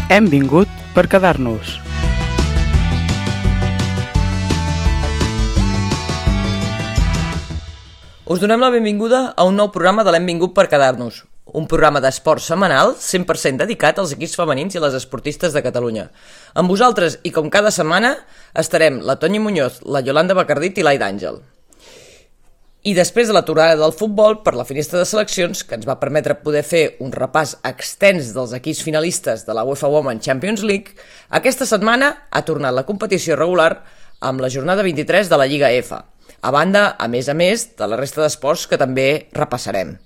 Hem vingut per quedar-nos. Us donem la benvinguda a un nou programa de l'Hem vingut per quedar-nos, un programa d'esport setmanal 100% dedicat als equips femenins i a les esportistes de Catalunya. Amb vosaltres, i com cada setmana, estarem la Tonya Muñoz, la Yolanda Bacardit i l'Aida Àngel. I després de l'aturada del futbol per la finestra de seleccions, que ens va permetre poder fer un repàs extens dels equips finalistes de la UEFA Women's Champions League, aquesta setmana ha tornat la competició regular amb la jornada 23 de la Lliga F, a banda, a més, de la resta d'esports que també repassarem.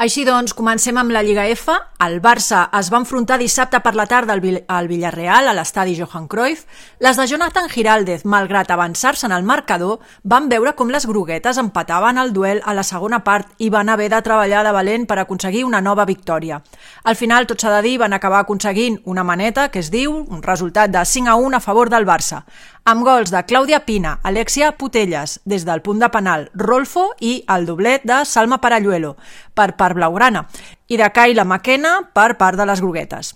Així doncs, comencem amb la Lliga F. El Barça es va enfrontar dissabte per la tarda al Villarreal a l'estadi Johan Cruyff. Les de Jonathan Giraldez, malgrat avançar-se en el marcador, van veure com les groguetes empataven el duel a la segona part i van haver de treballar de valent per aconseguir una nova victòria. Al final, tot s'ha de dir, van acabar aconseguint una maneta, que es diu, un resultat de 5-1 a favor del Barça, amb gols de Clàudia Pina, Alexia Putelles, des del punt de penal, Rolfo i el doblet de Salma Paralluelo, per part blaugrana, i de Kayla McKenna per part de les groguetes.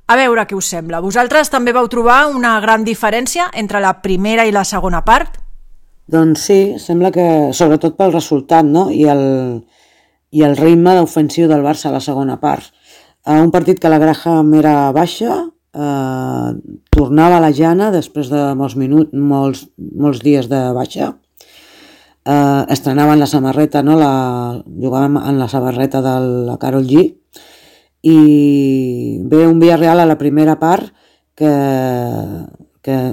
A veure què us sembla. Vosaltres també vau trobar una gran diferència entre la primera i la segona part? Doncs sí, sembla que sobretot pel resultat, no? I el ritme ofensiu del Barça a la segona part. Un partit que la Graham era baixa, tornava a la Jana després de molts dies de baixa, estrenaven la samarreta, no? Jugàvem en la samarreta de la Karol G, i ve un Villarreal a la primera part que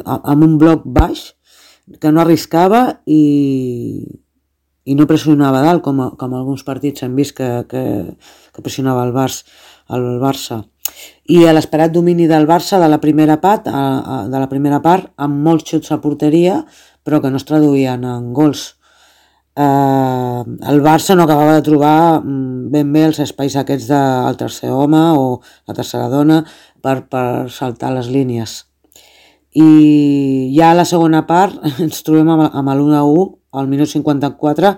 amb un bloc baix que no arriscava i no pressionava dalt com alguns partits hem vist que pressionava el Barça. I a l'esperat domini del Barça de la primera part amb molts xuts a porteria però que no es traduïen en gols. El Barça no acabava de trobar ben bé els espais aquests del tercer home o la tercera dona per saltar les línies. I ja a la segona part ens trobem amb l'1-1 al minut 54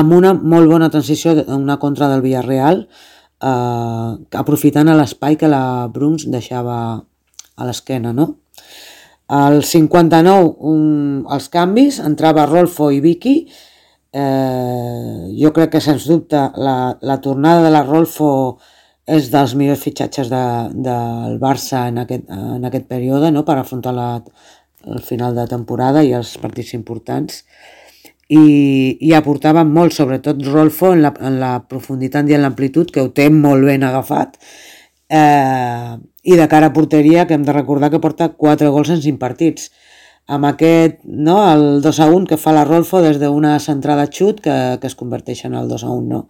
amb una molt bona transició, una contra del Villarreal, aprofitant l'espai que la Bruns deixava a l'esquena, no? Al 59 els canvis, entrava Rolfo i Vicky. Jo crec que sens dubte la tornada de la Rolfo és dels millors fitxatges del Barça en aquest període, no? Per afrontar el final de temporada i els partits importants, i aportava molt, sobretot Rolfo en la profunditat i en l'amplitud, que ho té molt ben agafat, i de cara a porteria, que hem de recordar que porta 4 gols en 5 partits. Amb aquest, no, el 2-1 que fa la Rolfo des d'una centrada xut que es converteix en el 2-1, no?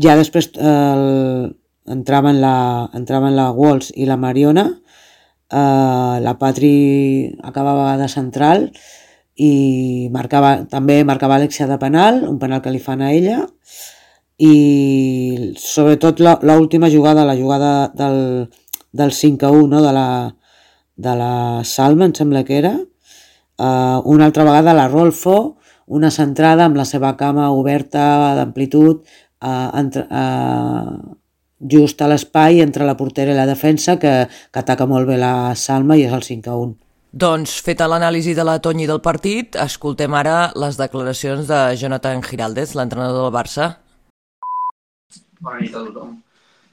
Ja després entraven la Walsh i la Mariona, la Patri acabava de central i també marcava Alexia de penal, un penal que li fan a ella, i sobretot l'última jugada, la jugada del 5-1, no? de la Salma, em sembla que era, una altra vegada la Rolfo, una centrada amb la seva cama oberta d'amplitud, just a l'espai entre la portera i la defensa, que ataca molt bé la Salma, i és el 5-1. Doncs, feta l'anàlisi de la Tonya del partit, escoltem ara les declaracions de Jonathan Giraldez, l'entrenador del Barça. Bona nit a tothom.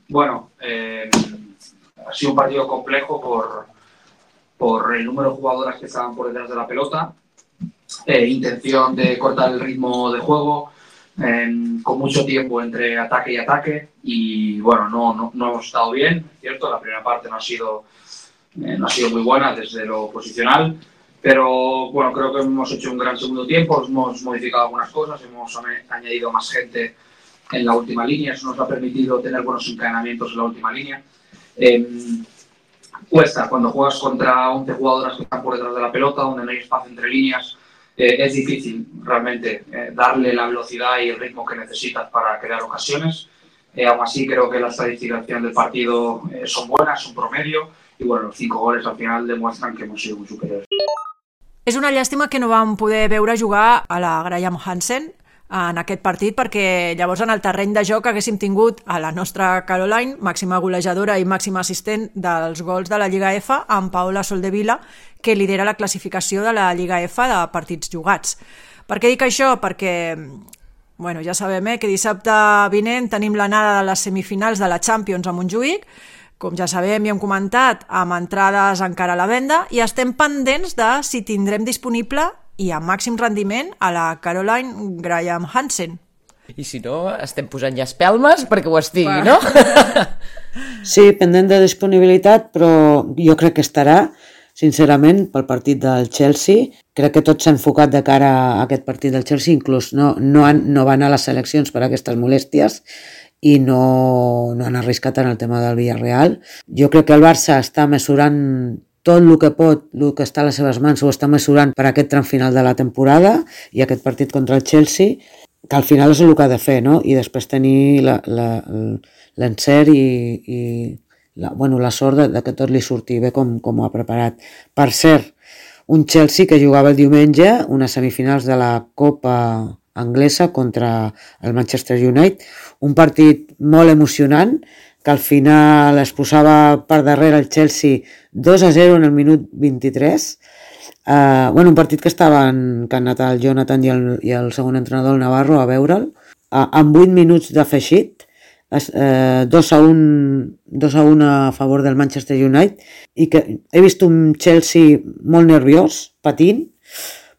Bueno, ha sido un partido complejo por el número de jugadoras que estaban por detrás de la pelota, intención de cortar el ritmo de juego, con mucho tiempo entre ataque y ataque, y bueno, no hemos estado bien, ¿cierto? La primera parte no ha sido muy buena desde lo posicional, pero bueno, creo que hemos hecho un gran segundo tiempo, hemos modificado algunas cosas, hemos añadido más gente en la última línea, eso nos ha permitido tener buenos encadenamientos en la última línea. Cuesta cuando juegas contra 11 jugadoras que están por detrás de la pelota, donde no hay espacio entre líneas, es difícil realmente darle la velocidad y el ritmo que necesitas para crear ocasiones. Aún así creo que las estadísticas del partido son buenas, son promedio, y bueno, los 5 goles al final demuestran que hemos sido muy superiores. És una llàstima que no vam poder veure jugar a la Graham Hansen, en aquest partit, perquè llavors en el terreny de joc haguéssim tingut a la nostra Caroline, màxima golejadora i màxima assistent dels gols de la Lliga F, amb Paola Soldevila, que lidera la classificació de la Lliga F de partits jugats. Per què dic això? Perquè ja sabem que dissabte vinent tenim l'anada de les semifinals de la Champions a Montjuïc, com ja sabem i hem comentat, amb entrades encara a la venda, i estem pendents de si tindrem disponible i amb màxim rendiment a la Caroline Graham Hansen. I si no, estem posant ja espelmes perquè ho estigui, no? Sí, pendent de disponibilitat, però jo crec que estarà, sincerament, pel partit del Chelsea. Crec que tot s'ha enfocat de cara a aquest partit del Chelsea, inclús no van a les seleccions per aquestes molèsties i no han arriscat en el tema del Villarreal. Jo crec que el Barça està mesurant tot el que pot, el que està a les seves mans, ho està mesurant per aquest tram final de la temporada i aquest partit contra el Chelsea, que al final és el que ha de fer, no? I després tenir l'encert i la sort de que tot li surti bé com ho ha preparat. Per cert, un Chelsea que jugava el diumenge unes semifinals de la Copa anglesa contra el Manchester United, un partit molt emocionant, que al final es posava per darrere el Chelsea 2-0 en el minut 23. Un partit que han anat el Jonathan i el segon entrenador, el Navarro, a veure'l. Amb 8 minuts d'afegit, 2-1 a favor del Manchester United, i que he vist un Chelsea molt nerviós, patint,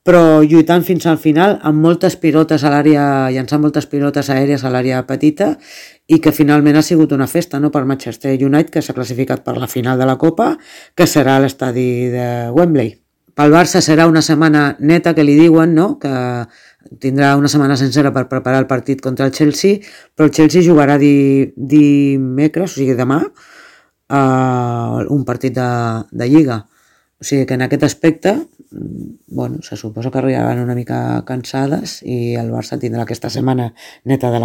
però lluitant fins al final amb moltes pilotes a l'àrea, llançant moltes pilotes aèries a l'àrea petita, i que finalment ha sigut una festa, no, per Manchester United, que s'ha classificat per la final de la Copa, que serà a l'estadi de Wembley. Pel Barça serà una setmana neta, que li diuen, no?, que tindrà una setmana sencera per preparar el partit contra el Chelsea, però el Chelsea jugarà dimecres, o sigui demà, un partit de Lliga. O sigui que en aquest aspecte, se suposa que arribaran una mica cansades i el Barça tindrà aquesta setmana neta de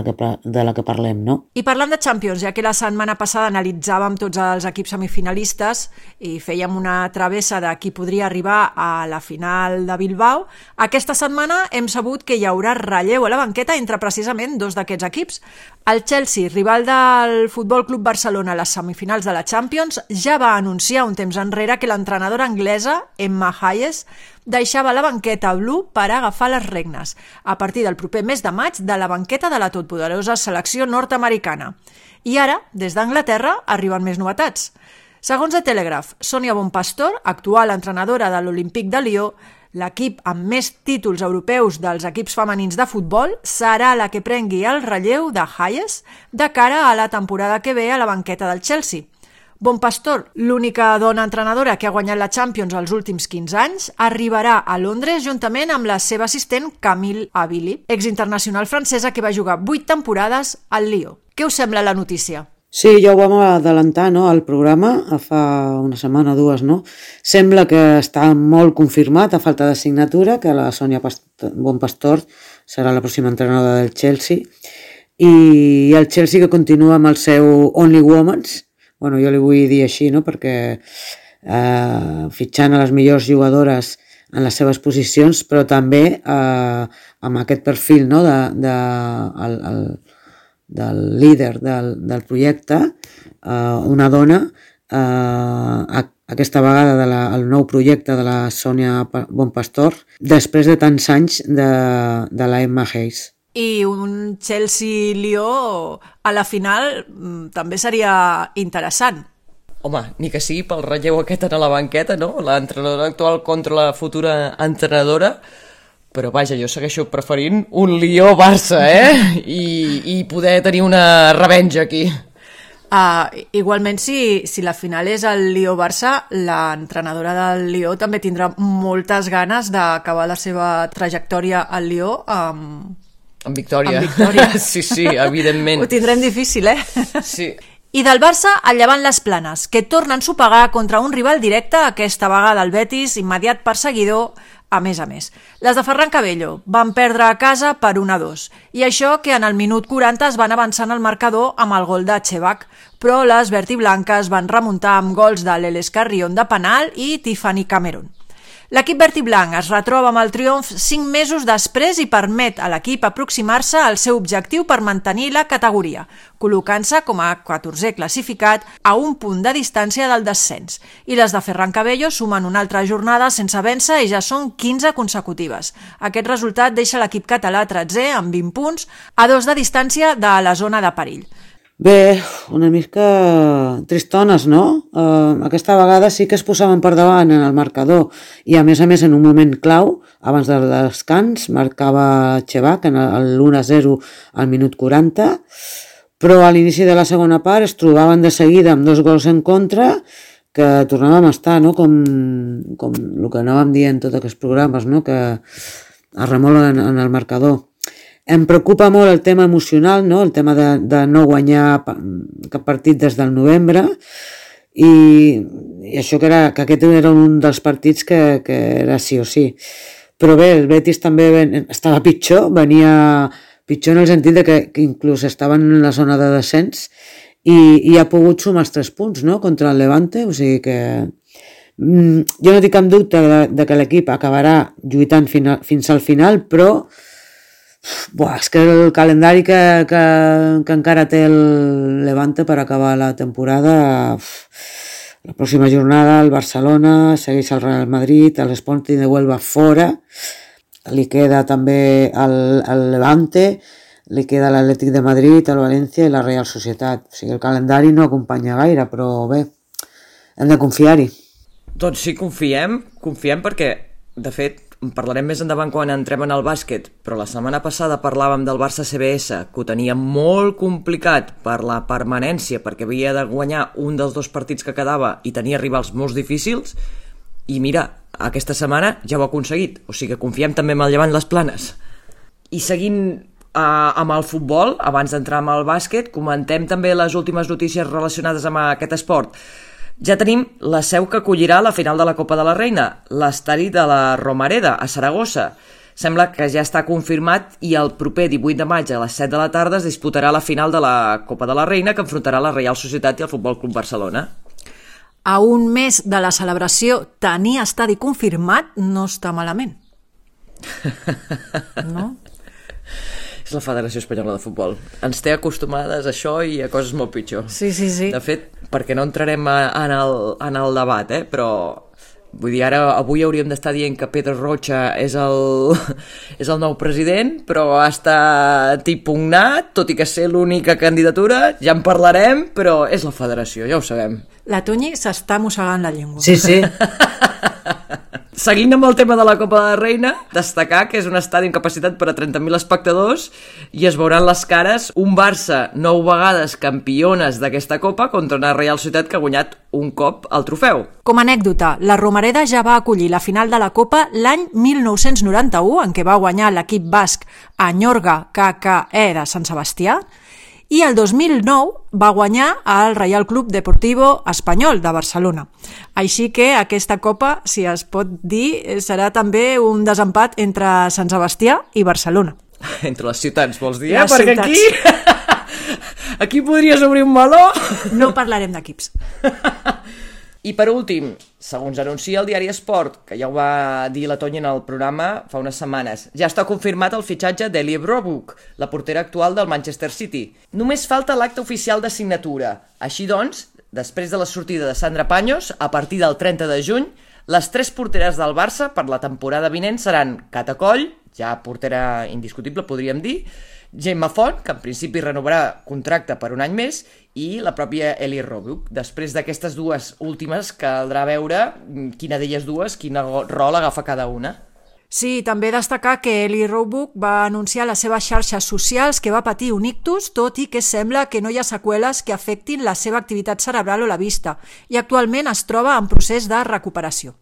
la que parlem, no? I parlant de Champions, ja que la setmana passada analitzàvem tots els equips semifinalistes i fèiem una travessa de qui podria arribar a la final de Bilbao, aquesta setmana hem sabut que hi haurà relleu a la banqueta entre precisament dos d'aquests equips. El Chelsea, rival del Futbol Club Barcelona a les semifinals de la Champions, ja va anunciar un temps enrere que l'entrenadora anglesa, Emma Hayes, deixava la banqueta Blue per agafar les regnes a partir del proper mes de maig de la banqueta de la totpoderosa selecció nord-americana. I ara, des d'Anglaterra, arriben més novetats. Segons The Telegraph, Sonia Bonpastor, actual entrenadora de l'Olympique de Lió, l'equip amb més títols europeus dels equips femenins de futbol, serà la que prengui el relleu de Hayes de cara a la temporada que ve a la banqueta del Chelsea. Bonpastor, l'única dona entrenadora que ha guanyat la Champions els últims 15 anys, arribarà a Londres juntament amb la seva assistent Camille Abili, exinternacional francesa que va jugar 8 temporades al Lió. Què us sembla la notícia? Sí, ja ho vam adelantar, no, al programa, fa una setmana o dues, no? Sembla que està molt confirmat, a falta de signatura, que la Sonia Bonpastor serà la pròxima entrenadora del Chelsea, i el Chelsea que continua amb el seu Only Women's, jo li vull dir així, no?, perquè fitxant a les millors jugadores en les seves posicions, però també amb aquest perfil, no?, del líder del projecte, una dona, aquesta vegada del nou projecte de la Sonia Bonpastor, després de tants anys de la Emma Hayes. I un Chelsea-Lió a la final també seria interessant. Home, ni que sigui pel relleu aquest a la banqueta, no? L'entrenadora actual contra la futura entrenadora, però vaja, jo segueixo preferint un Lió-Barça, I poder tenir una revenja aquí. Igualment, si la final és el Lió-Barça, l'entrenadora del Lió també tindrà moltes ganes d'acabar la seva trajectòria al Lió amb victòria. Sí, evidentment. Ho tindrem difícil, Sí. I del Barça, el Llevant Les Planes, que torna a ensopegar contra un rival directe, aquesta vegada el Betis, immediat perseguidor, a més. Les de Ferran Cabello van perdre a casa per 1-2, i això que en el minut 40 es van avançar en el marcador amb el gol de Chebac, però les vertiblanques van remuntar amb gols de l'Eles Carrion de penal i Tiffany Cameron. L'equip verd i blanc es retroba amb el triomf 5 mesos després i permet a l'equip aproximar-se al seu objectiu per mantenir la categoria, col·locant-se com a 14è classificat a un punt de distància del descens. I les de Ferran Cabello sumen una altra jornada sense vèncer i ja són 15 consecutives. Aquest resultat deixa l'equip català 13è amb 20 punts, a 2 de distància de la zona de perill. Bé, una mica tristones, no? Aquesta vegada sí que es posaven per davant en el marcador i a més en un moment clau, abans del descans, marcava Chevac en l'1-0 al minut 40, però a l'inici de la segona part es trobaven de seguida amb 2 gols en contra que tornàvem a estar, no? Com el que anàvem dient tots aquests programes, no? Que es remolen en el marcador. Em preocupa molt el tema emocional, no? El tema de no guanyar cap partit des del novembre i això que aquest era un dels partits que era sí o sí. Però bé, el Betis també estava pitjor, venia pitjor en el sentit de que inclús estaven en la zona de descens i ha pogut sumar els 3 punts, no? Contra el Levante, o sigui que jo no tinc cap dubte de que l'equip acabarà lluitant fins al final, però és que el calendari que encara té el Levante per acabar la temporada, la pròxima jornada el Barcelona, segueix el Real Madrid, l'Sporting de Huelva fora, li queda també el Levante, li queda l'Atlètic de Madrid, el València i la Real Societat. O sigui, el calendari no acompanya gaire, però bé, hem de confiar-hi. Doncs sí, confiem perquè, de fet, parlarem més endavant quan entrem en el bàsquet, però la setmana passada parlàvem del Barça CBS, que ho tenia molt complicat per la permanència, perquè havia de guanyar un dels 2 partits que quedava i tenia rivals molt difícils, i mira, aquesta setmana ja ho ha aconseguit, o sigui que confiem també en el Llevant Les Planes. I seguint amb el futbol, abans d'entrar amb el bàsquet, comentem també les últimes notícies relacionades amb aquest esport. Ja tenim la seu que acollirà la final de la Copa de la Reina, l'estadi de la Romareda, a Saragossa. Sembla que ja està confirmat i el proper 18 de maig a les 7 de la tarda es disputarà la final de la Copa de la Reina que enfrontarà la Real Societat i el Futbol Club Barcelona. A un mes de la celebració, tenir estadi confirmat no està malament. No? És la Federació Espanyola de Futbol. Ens té acostumades a això i a coses molt pitjor. Sí. De fet, perquè no entrarem en el debat, però vull dir, ara avui hauríem d'estar dient que Pedro Rocha és el nou president, però ha estat impugnat, tot i que ser l'única candidatura, ja en parlarem, però és la Federació, ja ho sabem. La Toñi s'està mossegant la llengua. Sí. Seguint amb el tema de la Copa de la Reina, destacar que és un estadi amb capacitat per a 30.000 espectadors i es veuran les cares un Barça 9 vegades campiones d'aquesta Copa contra una Real Societat que ha guanyat un cop el trofeu. Com a anècdota, la Romareda ja va acollir la final de la Copa l'any 1991, en què va guanyar l'equip basc Añorga KKE de Sant Sebastià, i el 2009 va guanyar el Reial Club Deportivo Espanyol de Barcelona. Així que aquesta Copa, si es pot dir, serà també un desempat entre Sant Sebastià i Barcelona. Entre les ciutats, vols dir? Les Perquè ciutats. aquí podries obrir un meló. No parlarem d'equips. I per últim, segons anuncia el diari Esport, que ja ho va dir la Tonya en el programa fa unes setmanes, ja està confirmat el fitxatge d'Elie Roebuck, la portera actual del Manchester City. Només falta l'acte oficial de signatura. Així doncs, després de la sortida de Sandra Paños, a partir del 30 de juny, les 3 porteres del Barça per la temporada vinent seran Cata Coll, ja portera indiscutible podríem dir, Gemma Font, que en principi renovarà contracte per un any més, i la pròpia Elie Roebuck. Després d'aquestes 2 últimes caldrà veure quina d'elles dues, quin rol agafa cada una. Sí, també destacar que Elie Roebuck va anunciar a les seves xarxes socials que va patir un ictus, tot i que sembla que no hi ha seqüeles que afectin la seva activitat cerebral o la vista, i actualment es troba en procés de recuperació.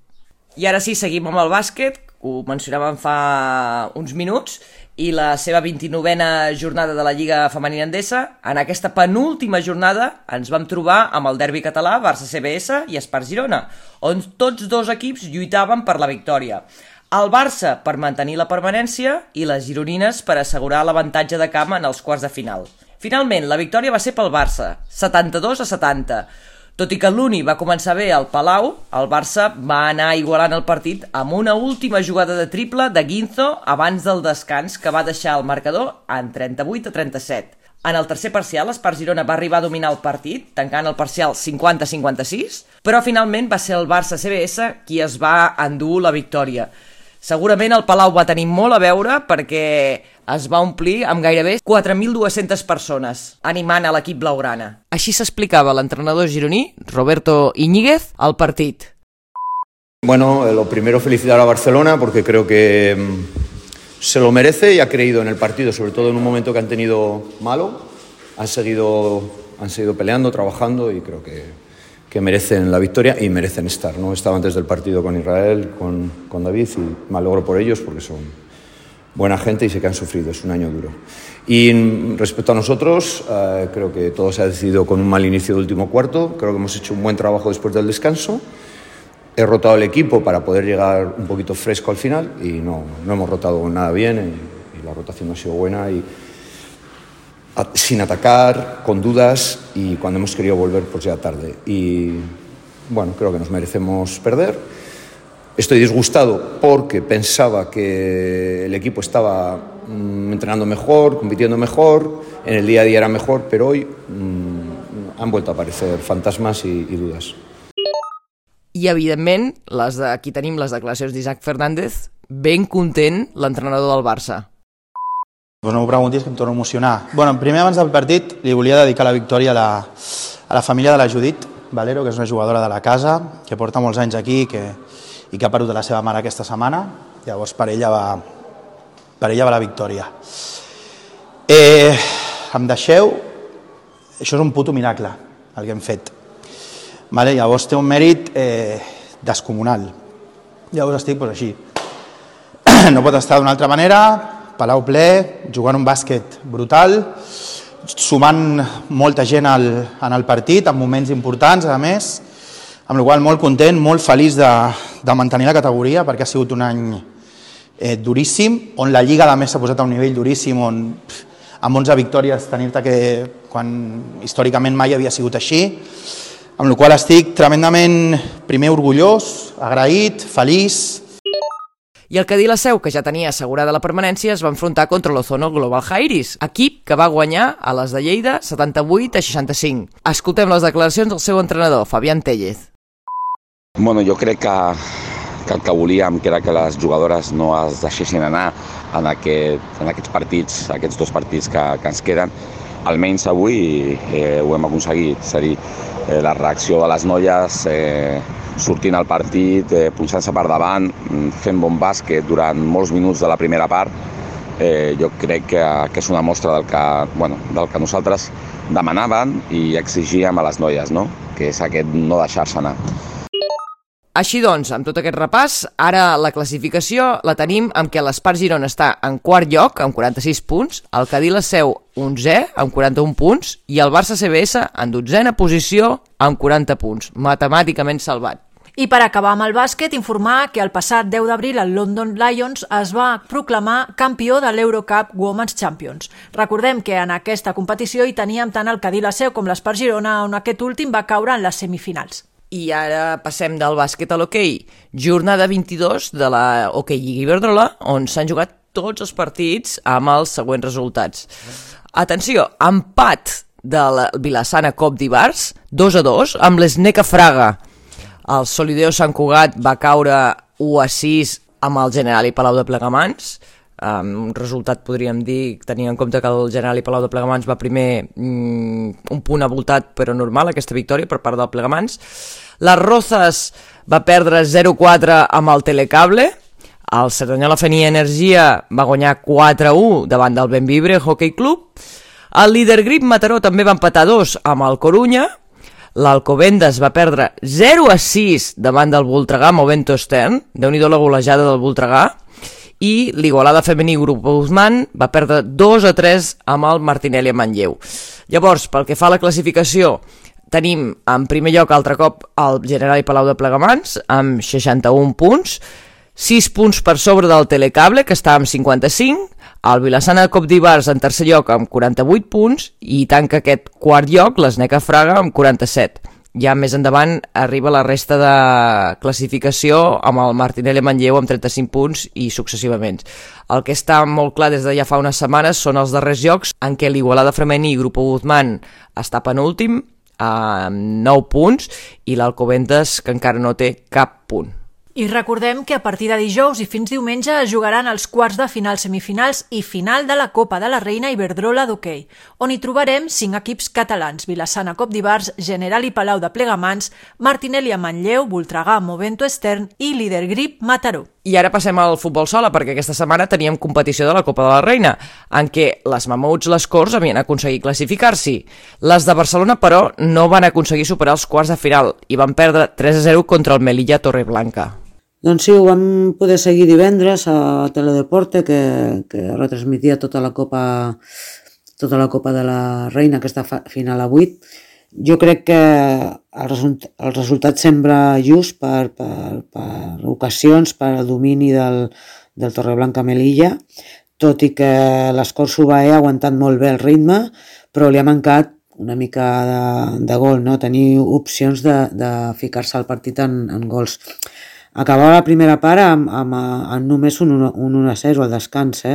I ara sí, seguim amb el bàsquet, ho mencionàvem fa uns minuts, i la seva 29a jornada de la Lliga Femenina Endesa. En aquesta penúltima jornada ens vam trobar amb el derbi català, Barça-CBS i Espart-Girona, on tots 2 equips lluitaven per la victòria. El Barça per mantenir la permanència i les gironines per assegurar l'avantatge de camp en els quarts de final. Finalment, la victòria va ser pel Barça, 72-70. Tot i que l'Uni va començar bé al Palau, el Barça va anar igualant el partit amb una última jugada de triple de Guinzo abans del descans que va deixar el marcador en 38-37. En el tercer parcial, l'Espart Girona va arribar a dominar el partit, tancant el parcial 50-56, però finalment va ser el Barça-CBS qui es va endur la victòria. Segurament el Palau va tenir molt a veure perquè es va omplir amb gairebé 4.200 persones, animant a l'equip blaugrana. Així s'explicava l'entrenador gironí, Roberto Íñiguez, al partit. Bueno, lo primero felicitar a Barcelona porque creo que se lo merece y ha creído en el partido, sobre todo en un momento que han tenido malo. Han seguido peleando, trabajando y creo que merecen la victoria y merecen estar, ¿no? Estaba antes del partido con Israel, con David y me alegro por ellos porque son buena gente y sé que han sufrido, es un año duro. Y respecto a nosotros, creo que todo se ha decidido con un mal inicio del último cuarto, creo que hemos hecho un buen trabajo después del descanso. He rotado el equipo para poder llegar un poquito fresco al final y no hemos rotado nada bien y la rotación no ha sido buena y sin atacar, con dudas y cuando hemos querido volver pues ya tarde. Y bueno, creo que nos merecemos perder. Estoy disgustado porque pensaba que el equipo estaba entrenando mejor, compitiendo mejor, en el día a día era mejor, pero hoy han vuelto a aparecer fantasmas y dudas. I, evidentment, aquí tenim les declaracions d'Isaac Fernández, ben content l'entrenador del Barça. Pues no m'ho preguntis, que em torno a emocionar. Bueno, primer, abans del partit, li volia dedicar la victòria a la família de la Judit Valero, que és una jugadora de la casa, que porta molts anys aquí i que ha perdut la seva mare aquesta setmana. Llavors, per ella va la victòria. Em deixeu... Això és un puto miracle, el que hem fet. Vale, llavors té un mèrit descomunal. Llavors estic així. No pot estar d'una altra manera, Palau ple, jugant un bàsquet brutal, sumant molta gent en el partit, en moments importants, a més, amb la qual cosa molt content, molt feliç de mantenir la categoria, perquè ha sigut un any duríssim, on la Lliga a més s'ha posat a un nivell duríssim, on amb 11 victòries tenir-te que, quan històricament mai havia sigut així, amb la qual estic tremendament, primer, orgullós, agraït, feliç. I el Cadí la Seu, que ja tenia assegurada la permanència, es va enfrontar contra l'Ozono Global Jairis, equip que va guanyar a les de Lleida 78-65. Escoltem les declaracions del seu entrenador, Fabián Tellez. Bueno, jo crec que el que volíem que era que les jugadores no es deixessin anar en aquests partits, aquests dos partits que ens queden. Almenys avui ho hem aconseguit, és a dir, la reacció de les noies sortint al partit, punxant-se per davant, fent bon bàsquet durant molts minuts de la primera part, jo crec que és una mostra del que nosaltres demanàvem i exigíem a les noies, no? Que és aquest no deixar-se anar. Així doncs, amb tot aquest repàs, ara la classificació la tenim amb què l'Espart Girona està en quart lloc, amb 46 punts, el Cadí la Seu 11è, amb 41 punts, i el Barça-CBS en 12a posició, amb 40 punts, matemàticament salvat. I per acabar amb el bàsquet, informar que el passat 10 d'abril el London Lions es va proclamar campió de l'Eurocup Women's Champions. Recordem que en aquesta competició hi teníem tant el Cadí la Seu com l'Espart Girona, on aquest últim va caure en les semifinals. I ara passem del bàsquet a l'hoquei. Jornada 22 de la Hockey Lliga Iberdrola, on s'han jugat tots els partits amb els següents resultats. Atenció, empat del Vilassana Cop d'Ibars, 2-2, amb l'Sneca Fraga. El Solideo Sant Cugat va caure 1-6 amb el Generali Palau de Plegamans. Un resultat, podríem dir, tenint en compte que el Generali Palau de Plegamans va primer un punt avoltat, però normal, aquesta victòria per part del Plegamans. Les Rozas va perdre 0-4 amb el Telecable. El Cerdanyola Fenia Energia va guanyar 4-1 davant del Benvibre Hockey Club. El líder Grip Mataró també va empatar 2 amb el Corunya. L'Alcobendas va perdre 0-6 davant del Voltregà Movento Stern. Déu-n'hi-do la golejada del Voltregà. I l'Igualada Femení Grup Guzmán va perdre 2-3 amb el Martinelli a Manlleu. Llavors, pel que fa a la classificació, tenim en primer lloc altre cop el Generali Palau de Plegamans amb 61 punts, 6 punts per sobre del Telecable, que està amb 55, el Vilassana Cop d'Ibars en tercer lloc amb 48 punts i tanca aquest quart lloc l'Sneca Fraga amb 47. Ja més endavant arriba la resta de classificació amb el Martinelli i Manlleu amb 35 punts i successivament. El que està molt clar des de ja fa unes setmanes són els darrers jocs en què l'Igualada femení i Grupo Guzmán està penúltim amb 9 punts i l'Alcobendas que encara no té cap punt. I recordem que a partir de dijous i fins diumenge es jugaran els quarts de final, semifinals i final de la Copa de la Reina Iberdrola d'hoquei, on hi trobarem 5 equips catalans: Vilassana Cop d'Ivars, General i Palau de Plegamans, Martinelli a Manlleu, Voltregà, Movento Estern i Líder Grip Mataró. I ara passem al futbol sala, perquè aquesta setmana teníem competició de la Copa de la Reina, en què les Mamuts Les Corts havien aconseguit classificar-s'hi. Les de Barcelona, però, no van aconseguir superar els quarts de final i van perdre 3-0 contra el Melilla Torreblanca. Doncs sí, ho vam poder seguir divendres a Teledeporte, que retransmetia tota la Copa de la Reina, aquesta final a 8. Jo crec que el resultat sembla just per ocasions, per al domini del Torreblanca Melilla, tot i que l'Escort Subaé ha aguantat molt bé el ritme, però li ha mancat una mica de gol, no? Tenir opcions de ficar-se al partit en gols. Acabava la primera part amb només un 1-0 al descans.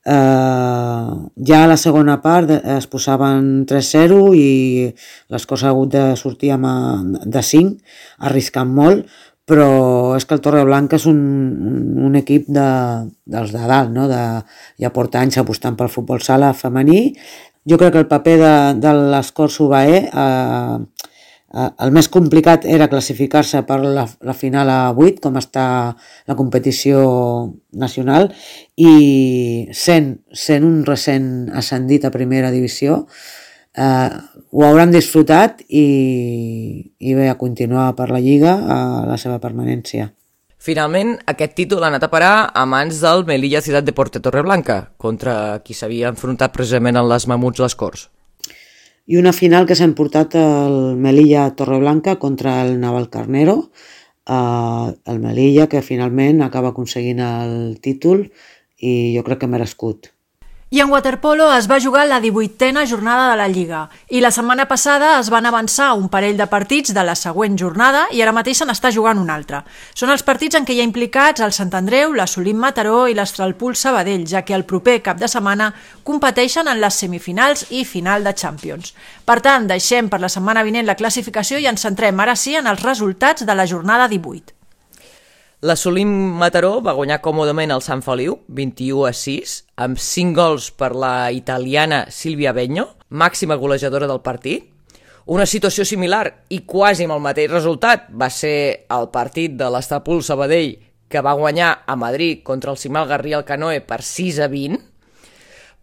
Ja a la segona part es posaven 3-0 i les coses ha hagut de sortir de 5, arriscant molt, però és que el Torreblanca és un equip dels de dalt, no? Ja porta anys apostant pel futbol sala femení. Jo crec que el paper de l'Escort Subaé el més complicat era classificar-se per la final a 8, com està la competició nacional, i sent un recent ascendit a primera divisió, ho hauran disfrutat i bé, a continuar per la Lliga a la seva permanència. Finalment, aquest títol ha anat a parar a mans del Melilla Ciutat Deporte Torreblanca, contra qui s'havia enfrontat precisament en les Mamuts Les Corts. I una final que s'ha emportat el Melilla Torreblanca contra el Navalcarnero, el Melilla que finalment acaba aconseguint el títol i jo crec que merescut. I en waterpolo es va jugar la 18a jornada de la Lliga i la setmana passada es van avançar un parell de partits de la següent jornada i ara mateix se n'està jugant un altre. Són els partits en què hi ha implicats el Sant Andreu, l'Assolim Mataró i l'Estralpul Sabadell, ja que el proper cap de setmana competeixen en les semifinals i final de Champions. Per tant, deixem per la setmana vinent la classificació i ens centrem ara sí en els resultats de la jornada 18. L'Assolim Mataró va guanyar còmodament el Sant Feliu, 21-6, amb 5 gols per la italiana Silvia Begno, màxima golejadora del partit. Una situació similar i quasi amb el mateix resultat va ser el partit de l'Estralpul Sabadell, que va guanyar a Madrid contra el Simal Garriga Canoe per 6-20.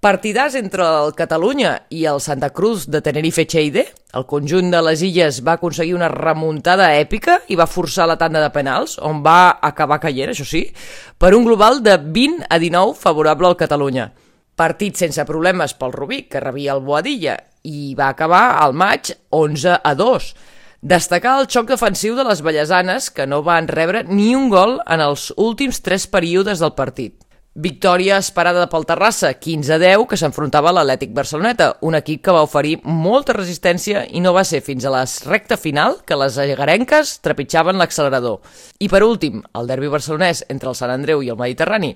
Partidars entre el Catalunya i el Santa Cruz de Tenerife-Cheide. El conjunt de les illes va aconseguir una remuntada èpica i va forçar la tanda de penals, on va acabar caient, això sí, per un global de 20-19 favorable al Catalunya. Partit sense problemes pel Rubí, que rebia el Boadilla, i va acabar al maig 11-2. Destacar el xoc defensiu de les vallesanes, que no van rebre ni un gol en els últims 3 períodes del partit. Victòria esperada pel Terrassa, 15-10, que s'enfrontava a l'Atlètic Barceloneta, un equip que va oferir molta resistència i no va ser fins a la recta final que les egarenques trepitjaven l'accelerador. I per últim, el derbi barcelonès entre el Sant Andreu i el Mediterrani.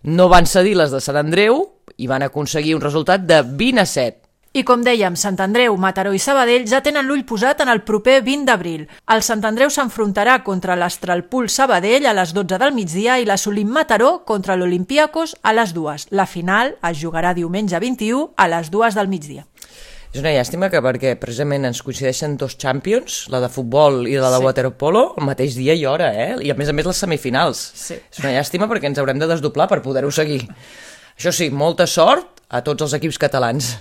No van cedir les de Sant Andreu i van aconseguir un resultat de 20-7. I com dèiem, Sant Andreu, Mataró i Sabadell ja tenen l'ull posat en el proper 20 d'abril. El Sant Andreu s'enfrontarà contra l'Estralpul Sabadell a les 12 del migdia i l'Assolim Mataró contra l'Olympiacos a les 2. La final es jugarà diumenge 21 a les 2 del migdia. És una llàstima que perquè precisament ens coincideixen 2 Champions, la de futbol i la de waterpolo, el mateix dia i hora, i a més les semifinals. Sí. És una llàstima perquè ens haurem de desdoblar per poder-ho seguir. Això sí, molta sort a tots els equips catalans.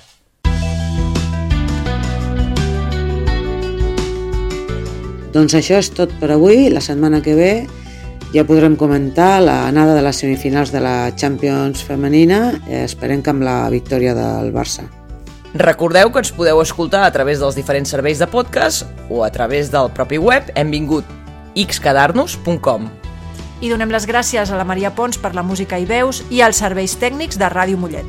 Doncs això és tot per avui. La setmana que ve ja podrem comentar l'anada de les semifinals de la Champions femenina. Esperem que amb la victòria del Barça. Recordeu que ens podeu escoltar a través dels diferents serveis de podcast o a través del propi web hemvingut.xquedarnos.com. I donem les gràcies a la Maria Pons per la música i veus i als serveis tècnics de Ràdio Mollet.